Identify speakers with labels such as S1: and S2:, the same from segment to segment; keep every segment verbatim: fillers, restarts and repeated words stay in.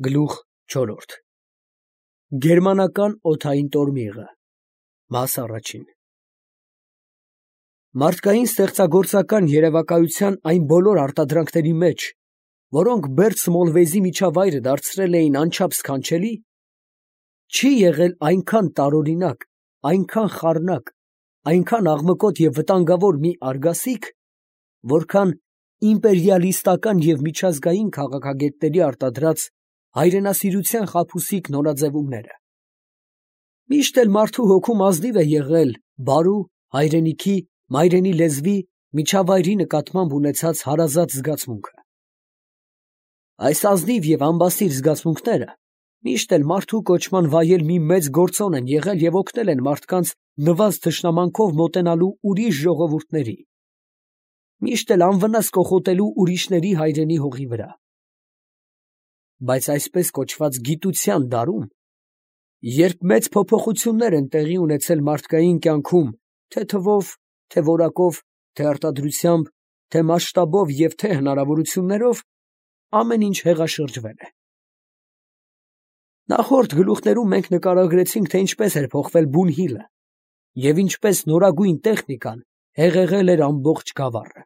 S1: Գլուխ չորրորդ Գերմանական օդային տորմիղը Մաս առաջին Մարդկային ստեղծագործական երևակայության այն բոլոր արտադրանքների մեջ, որոնք Բերդ Սմոլվեյզի միջավայրը դարձրել էին անչափ սքանչելի, չի եղել այնքան տարօրինակ, այնքան խառնակ, այնքան աղմկոտ և վտանգավոր մի արգասիք, որքան իմպերիալիստական և միջազգային քաղաքագետների արտադրած հայրենասիրության խաբուսիկ նորաձևումները։ Միշտ էլ մարդու հոգում ազնիվ է եղել բարու, հայրենիքի, մայրենի լեզվի, միջավայրի նկատմամբ ունեցած հարազատ զգացմունքը։ Այս ազնիվ և անբասիր զգացմունքները միշտ էլ մարդու կոչման վայել մի մեծ գործոն են եղել և օգնել են մարդկանց նվազ թշնամանքով մոտենալու ուրիշ ժողովուրդների, միշտ էլ անվնաս կոխոտելու ուրիշների հայրենի հողի վրա։ Բայց այսպես կոչված գիտության դարում, երբ մեծ փոփոխություններ են տեղի ունեցել մարդկային կյանքում թե՛ թվով, թե՛ որակով, թե՛ արտադրությամբ, թե՛ մասշտաբով և թե՛ հնարավորություններով, ամեն ինչ հեղաշրջվել է։ Նախորդ գլուխներում մենք նկարագրեցինք, թե ինչպես էր փոխվել Բունհիլը և ինչպես նորագույն տեխնիկան հեղեղել էր ամբողջ գավառը։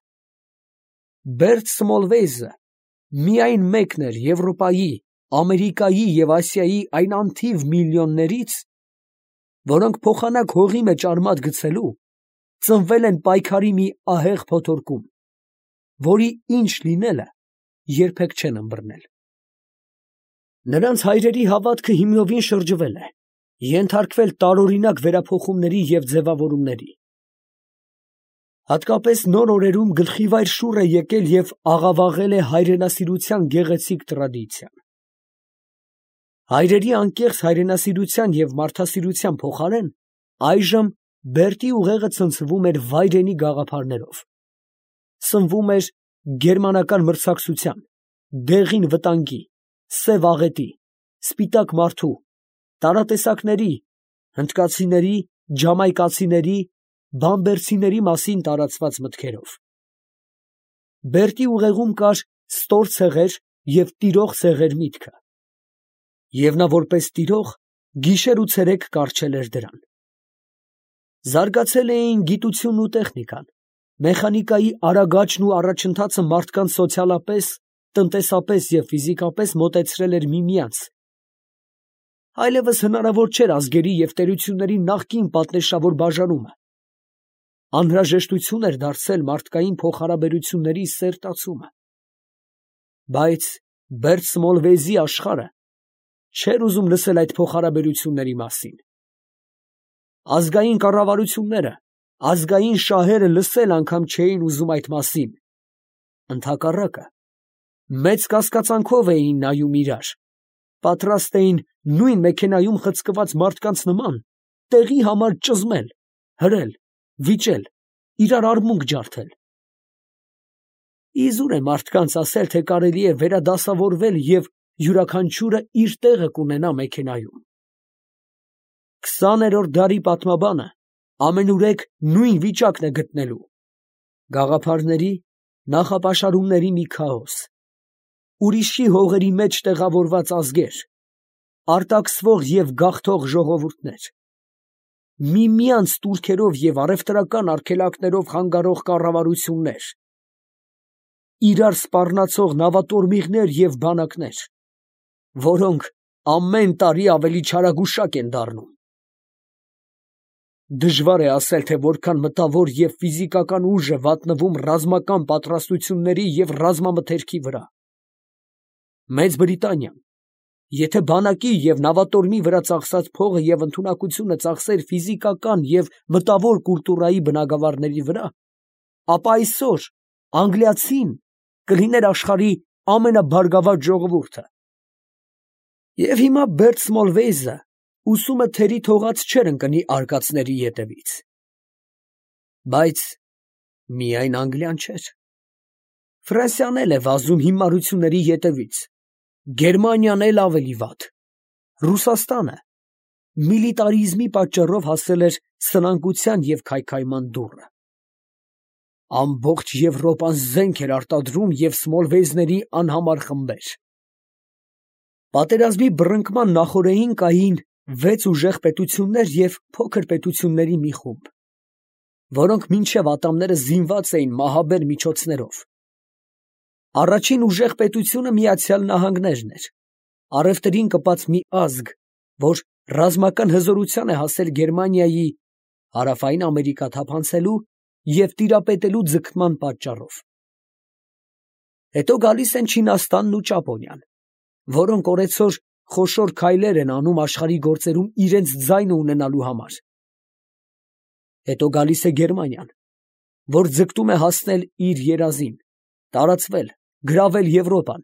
S1: Բերդ Սմոլվեյզը միայն մեկն էր Եվրոպայի, Ամերիկայի և Ասիայի այն անթիվ միլիոններից, որոնք փոխանակ հողի մեջ արմատ գցելու, ծնվել են պայքարի մի ահեղ փոթորկում, որի ինչ լինելը երբեք չեն ըմբռնել։ Նրանց հայրերի հավատքը հիմնովին շրջվել է, ենթարկվել տարօրինակ վերափոխումների և ձևավորումների։ Հատկապես նոր օրերում գլխիվայր շուռ է եկել և աղավաղել է հայրենասիրության գեղեցիկ տրադիցիան։ Հայրերի անկեղծ հայրենասիրության և մարդասիրության փոխարեն այժմ Բերդի ուղեղը ցնցվում էր վայրենի գաղափարներով, սնվում էր գերմանական մրցակցության, դեղին վտանգի, սև աղետի, սպիտակ մարդու, տարատեսակների, հնդկացիների, ջամայկացիների, բամբերցիների մասին տարածված մտքերով։ Բերդի ուղեղում կար ստոր ցեղեր և տիրող ցեղեր միտքը, և նա որպես տիրող գիշեր ու ցերեկ կառչել էր դրան։ Զարգացել էին գիտությունն ու տեխնիկան, մեխանիկայի արագ աճն ու առաջընթացը մարդկանց սոցիալապես, տնտեսապես և ֆիզիկապես մոտեցրել էր միմյանց։ Այլևս հնարավոր չէր ազգերի և տերությունների նախկին պատնեշավոր բաժանումը, անհրաժեշտություն էր դարձել մարդկային փոխհարաբերությունների սերտացումը։ Բայց Բերդ Սմոլվեյզի աշխարհը չէր ուզում լսել այդ փոխհարաբերությունների մասին։ Ազգային կառավարությունները, ազգային շահերը լսել անգամ չէին ուզում այդ մասին, ընդհակառակը, մեծ կասկածանքով էին նայում իրար, պատրաստ էին նույն մեքենայում խցկված մարդկանց նման տեղի համար ճզմել, հրել, վիճել, իրար արմունկ ջարդել։ Իզուր է մարդկանց ասել, թե կարելի է վերադասավորվել և յուրաքանչյուրը իր տեղը կունենա մեքենայում։ Քսաներորդ դարի պատմաբանը ամենուրեք նույն վիճակն է գտնելու. գաղափարների, նախապաշարումների մի քաոս, ուրիշի հողերի մեջ տեղավորված ազգեր, արտաքսվող և գաղթող ժողովուրդներ, միմյանց տուրքերով և առևտրական արգելակներով խանգարող կառավարություններ, իրար սպառնացող նավատորմիղներ և բանակներ, որոնք ամեն տարի ավելի չարագուշակ են դառնում։ Դժվար է ասել, թե որքան մտավոր և ֆիզիկական ուժ է վատնվում ռազմական պատրաստությունների և ռազմամթերքի վրա։ Մեծ Բրիտանիան, եթե բանակի և նավատորմի վրա ծախսած փողը և ընդունակությունը ծախսեր ֆիզիկական և մտավոր կուլտուրայի բնագավառների վրա, ապա այսօր անգլիացին կլիներ աշխարհի ամենաբարգավաճ ժողովուրդը։ Եվ հիմա Բերդ Սմոլվեյզը ուսումը թերի թողած չէր ընկնի արկածների ետևից։ Բայց միայն Անգլիան չէր. Ֆրանսիան էլ է վազում հիմարությունների ետևից, Գերմանիան էլ ավելի վատ, Ռուսաստանը միլիտարիզմի պատճառով հասել էր սնանկության և քայքայման դուռը։ Ամբողջ Եվրոպան զենք էր արտադրում և Սմոլվեյզների անհամար խմբեր։ Պատերազմի բռնկման նախօրեին կային վեց ուժեղ պետություններ և փոքր պետությունների մի խումբ, որոնք մինչև ատամները զինված էին մահաբեր միջոցներով։ Առաջին ուժեղ պետությունը Միացյալ Նահանգներն էր, առևտրին կպած մի ազգ, որ ռազմական հզորության է հասել Գերմանիայի հարավային Ամերիկա թափանցելու և տիրապետելու ձգտման պատճառով։ Հետո գալիս են Չինաստանն ու Ճապոնիան, որոնք օրեցօր խոշոր քայլեր են անում աշխարհի գործերում իրենց ձայնը ունենալու համար։ Հետո գալիս է Գերմանիան, որ ձգտում է հասնել իր երազին, տարածվել, գրավել Եվրոպան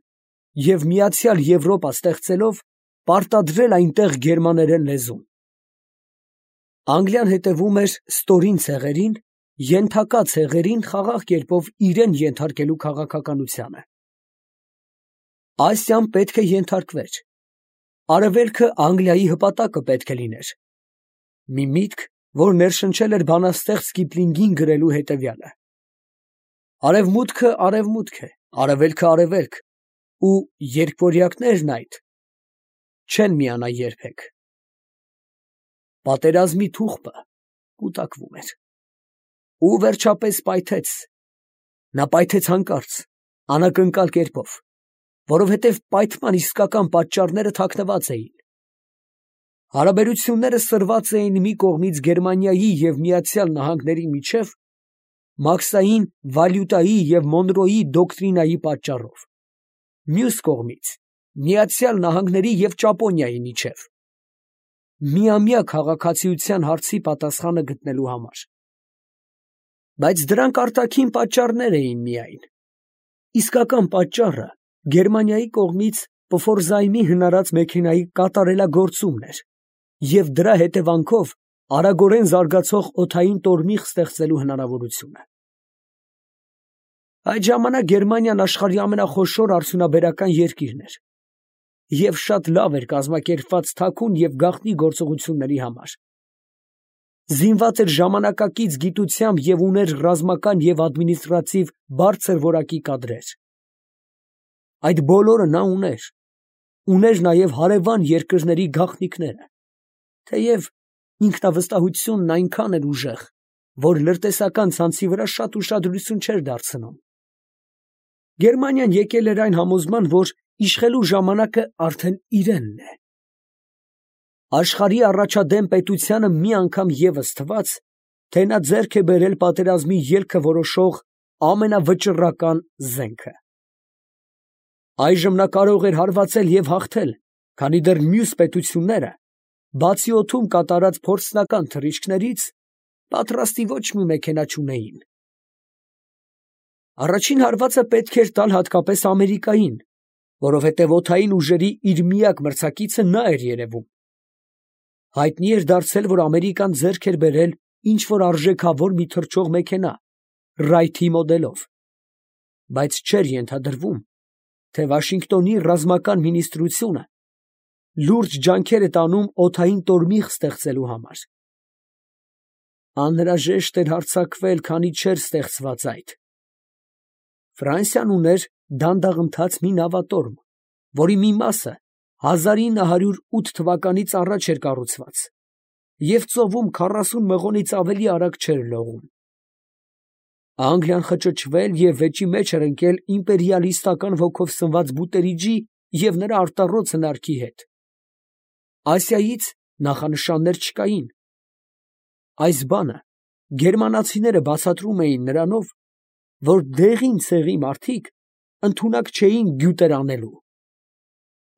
S1: և միացյալ Եվրոպա ստեղծելով պարտադրել այնտեղ գերմաներեն լեզուն։ Անգլիան հետևում էր ստորին ցեղերին, ենթակա ցեղերին խաղաղ կերպով իրեն ենթարկելու քաղաքականությանը։ Ասիան պետք է ենթարկվեր, Արևելքը Անգլիայի հպատակը պետք է լիներ։ Մի միտք, որ ներշնչել էր բանաստեղծ Կիպլինգին գրելու հետևյալը. Արևմուտքը արևմուտք է, արևելքը արևելք, ու երկվորյակներն այդ չեն միանա երբեք։ Պատերազմի թուղթը կուտակվում էր։ Ու վերջապես պայթեց։ Նա պայթեց հանկարծ, անակնկալ կերպով, որովհետև պայթման իսկական պատճառները թաքնված էին։ Հարաբերությունները սրված էին մի կողմից Գերմանիայի և Միացյալ Նահանգների միջև մաքսային վալյուտայի և Մոնրոյի դոկտրինայի պատճառով, մյուս կողմից Միացյալ Նահանգների և Ճապոնիայի միջև միամյա քաղաքացիության հարցի պատասխանը գտնելու համար։ Բայց դրանք արտաքին պատճառներ էին միայն։ Իսկական պատճառը Գերմանիայի կողմից Պֆորզայմի հնարած մեքենայի կատարելագործումն էր և դրա հետևանքով արագորեն զարգացող օդային տորմիղ ստեղծելու հնարավորությունը։ Այդ ժամանակ Գերմանիան աշխարհի ամենախոշոր արդյունաբերական երկիրն էր և շատ լավ էր կազմակերպված թաքուն և գաղտնի գործողությունների համար։ Զինված էր ժամանակակից գիտությամբ և ուներ ռազմական և ադմինիստրատիվ բարձր որակի կադրեր։ Այդ բոլորը նա ուներ, ուներ նաև հարևան երկրների գաղտնիքները, թեև ինքնավստահությունն այնքան էր ուժեղ, որ լրտեսական ցանցի վրա շատ ուշադրություն չէր դարձնում։ Գերմանիան եկել էր այն համոզման, որ իշխելու ժամանակը արդեն իրենն է։ Աշխարհի առաջադեմ պետությանը մի անգամ ևս թվաց, թե նա ձեռք է բերել պատերազմի ելքը որոշող ամենավճռական զենքը։ Այժմ նա կարող էր հարվածել և հաղթել, քանի դեռ մյուս պետությունները, բացի օդում կատարած փորձնական թռիչքներից, պատրաստի ոչ մի մեքենա չունեին։ Առաջին հարվածը պետք էր տալ հատկապես Ամերիկային, որովհետև օդային ուժերի իր միակ մրցակիցը նա էր երևում։ Հայտնի էր դարձել, որ Ամերիկան ձեռք էր բերել ինչ-որ արժեքավոր մի թռչող մեքենա Wright-ի մոդելով, բայց չէր ենթադրվում, թե Վաշինգտոնի ռազմական մինիստրությունը լուրջ ջանքեր է տանում օդային տորմիղ ստեղծելու համար։ Անհրաժեշտ էր հարձակվել, քանի չէր ստեղծված այդ։ Ֆրանսիան ուներ դանդաղընթաց մի նավատորմ, որի մի մասը հազար ինը հարյուր ութ թվականից առաջ էր կառուցված և ծովում քառասուն մղոնից ավելի արագ չէր լողում։ Անգլիան խճճվել և վեճի մեջ էր ընկել իմպերիալիստական ոգով սնված Բուտերիջի և նրա արտառոց հնարքի հետ։ Ասիայից նախանշաններ չկային։ Այս բանը գերմանացիները բացատրում էին նրանով, որ դեղին ցեղի մարդիկ ընդունակ չէին գյուտեր անելու։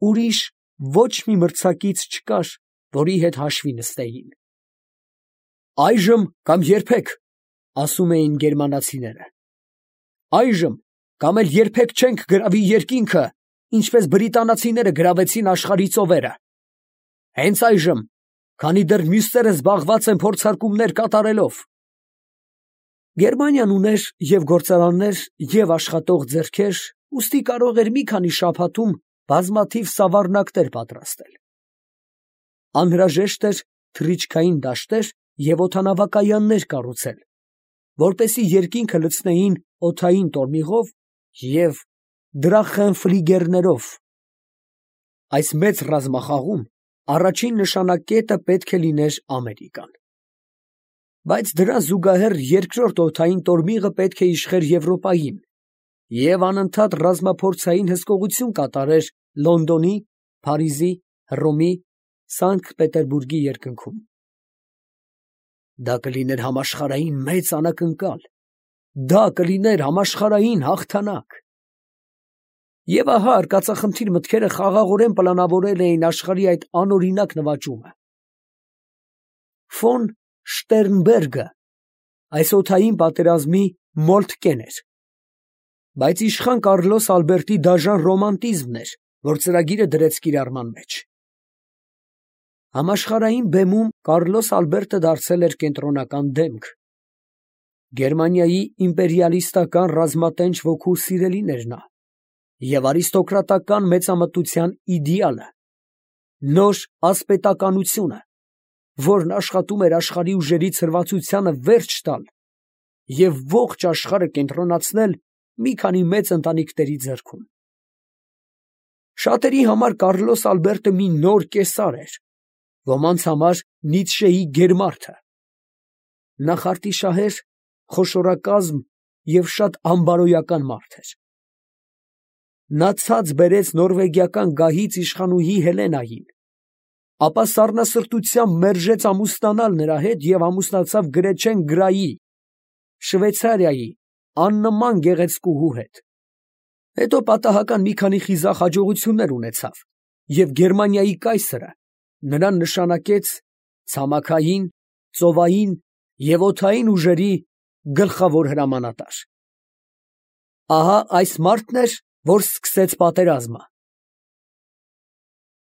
S1: Ուրիշ ոչ մի մրցակից չկար, որի հետ հաշվի նստեին։ Այժմ կամ երբեք, ասում էին գերմանացիները։ Այժմ կամ էլ երբեք չենք գրավի երկինքը, ինչպես բրիտանացիները գրավեցին աշխարհի ծովերը։ Հենց այժմ, քանի դեռ մյուսները զբաղված են փորձարկումներ կատարելով։ Գերմանիան ուներ և գործարաններ, և աշխատող ձեռքեր, ուստի կարող էր մի քանի շաբաթում բազմաթիվ սավառնակներ պատրաստել։ Անհրաժեշտ էր թռիչքային դաշտեր և օդանավակայաններ կառուցել, որպեսզի երկինքը լցնեին օդային տորմիղով և դրախենֆլիգերներով։ այս մեծ ռազմախաղում առաջին նշանակետը պետք է լիներ Ամերիկան։ Բայց դրան զուգահեռ երկրորդ օդային տորմիղը պետք է իշխեր Եվրոպային և անընդհատ ռազմափորձային հսկողություն կատարեր Լոնդոնի, Փարիզի, Հռոմի, Սանկտ Պետերբուրգի երկնքում։ Դա կլիներ համաշխարհային մեծ անակնկալ, դա կլիներ համաշխարհային հաղթանակ։ Եվ ահա արկածախնդիր մտքերը խաղաղորեն պլանավորել էին աշխարհի այդ անօրինակ նվաճումը։ Ֆոն Շտերնբերգը այս օդային պատերազմի մոլթկեն էր, բայց իշխան Կարլոս Ալբերտի դաժան ռոմանտիզմն էր, որ ծրագիրը դրեց կիրառման մեջ։ Համաշխարհային բեմում Կարլոս Ալբերտը դարձել էր կենտրոնական դեմք։ Գերմանիայի իմպերիալիստական ռազմատենչ ոգու սիրելին էր նա և արիստոկրատական մեծամտության իդեալը, նոր ասպետականությունը, որն աշխատում էր աշխարհի ուժերի ցրվածությանը վերջ տալ և ողջ աշխարհը կենտրոնացնել մի քանի մեծ ընտանիքների ձեռքում։ Շատերի համար Կարլոս Ալբերտը մի նոր կեսար էր, ոմանց համար Նիցշեի գերմարդը։ Նա խարտիշահեր, խոշորակազմ և շատ անբարոյական մարդ էր։ Նա ցած բերեց նորվեգիական գահից իշխանուհի Հելենային, ապա սառնասրտությամբ մերժեց ամուսնանալ նրա հետ և ամուսնացավ Գրեչեն Գրայի, Շվեյցարիայի աննման գեղեցկուհու հետ։ Հետո պատահական մի քանի խիզախ հաջողություններ ունեցավ և Գերմանիայի կայսրը նրան նշանակեց ցամաքային, ծովային և օդային ուժերի գլխավոր հրամանատար։ Ահա այս մարդն էր, որ սկսեց պատերազմը։